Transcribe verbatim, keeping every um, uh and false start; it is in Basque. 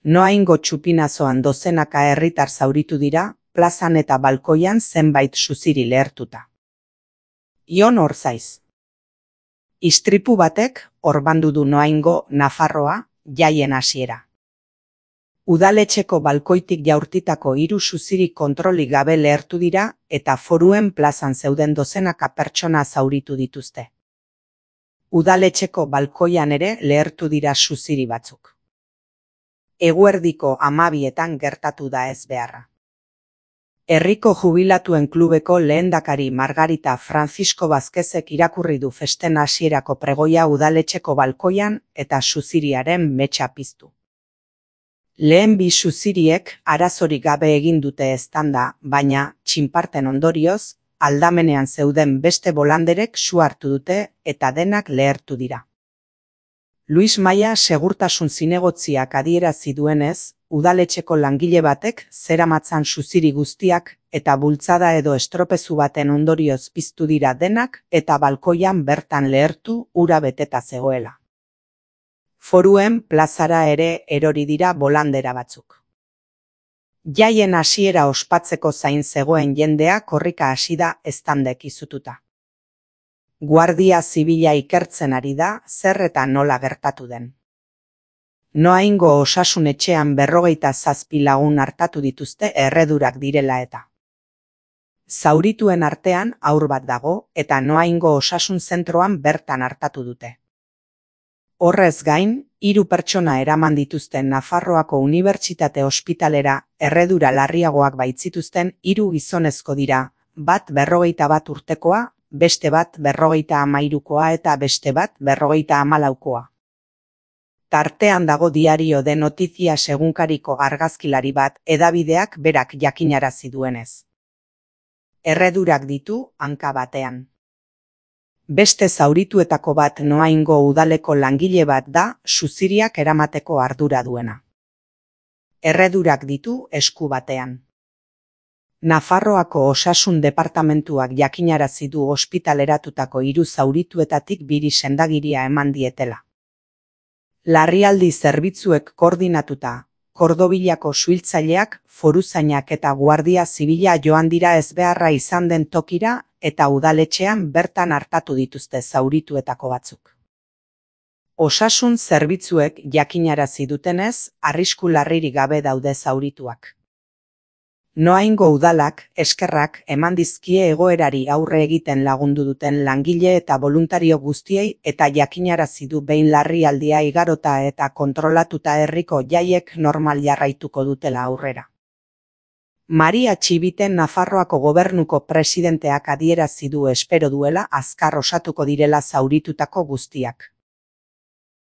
Noaingo txupinazoan dozenaka herritar zauritu dira, plazan eta balkoian zenbait suziri lehertuta. Ion Orzaiz. Istripu batek orbandu du Noaingo, Nafarroa, jaien hasiera. Udaletxeko balkoitik jaurtitako hiru suziri kontrolik gabe lehertu dira eta Foruen plazan zeuden dozenaka pertsona zauritu dituzte. Udaletxeko balkoian ere lehertu dira suziri batzuk. Eguerdiko hamabietan gertatu da ezbeharra. Herriko jubilatuen klubeko lehendakari Margarita Francisco Vázquezek irakurri du festen hasierako pregoia udaletxeko balkoian eta suziriaren metxa piztu. Lehen bi suziriek arazorik gabe egin dute eztanda, baina, txinparten ondorioz, aldamenean zeuden beste bolanderek su hartu dute eta denak lehertu dira. Luis Maia segurtasun zinegotziak adierazi duenez, udaletxeko langile batek zeramatzan suziri guztiak eta bultzada edo estropezu baten ondorioz piztu dira denak eta balkoian bertan lehertu ura beteta zegoela. Foruen plazara ere erori dira bolandera batzuk. Jaien hasiera ospatzeko zain zegoen jendea korrika hasi da eztandek izututa. Guardia Zibila ikertzen ari da zer eta nola gertatu den. Noaingo osasun etxean berrogeita zazpi lagun artatu dituzte erredurak direla eta. Zaurituen artean haur bat dago eta Noaingo osasun zentroan bertan artatu dute. Horrez gain, hiru pertsona eraman dituzten Nafarroako Unibertsitate Ospitalera erredura larriagoak baitzituzten hiru gizonezko dira, bat berrogeita bat urtekoa, beste bat berrogeita hamairukoa eta beste bat berrogeita hamalaukoa. Tartean dago Diario de Noticias egunkariko argazkilari bat hedabideak berak jakinarazi duenez. Erredurak ditu hanka batean. Beste zaurituetako bat Noaingo udaleko langile bat da suziriak eramateko ardura duena. Erredurak ditu esku batean. Nafarroako osasun departamentuak jakinarazi du ospitaleratutako hiru zaurituetatik biri sendagiria eman dietela. Larrialdi zerbitzuek koordinatuta, Kordobilako suhiltzaileak, foruzainak eta Guardia Zibila joan dira ezbeharra izan den tokira eta udaletxean bertan hartatu dituzte zaurituetako batzuk. Osasun zerbitzuek jakinarazi dutenez, arrisku larririk gabe daude zaurituak. Noaingo udalak, eskerrak eman dizkie egoerari aurre egiten lagundu duten langile eta boluntario guztiei eta jakinarazi du behin larrialdia igarota eta kontrolatuta herriko jaiek normal jarraituko dutela aurrera. Maria Txibiten Nafarroako gobernuko presidenteak adierazi du espero duela azkar osatuko direla zauritutako guztiak.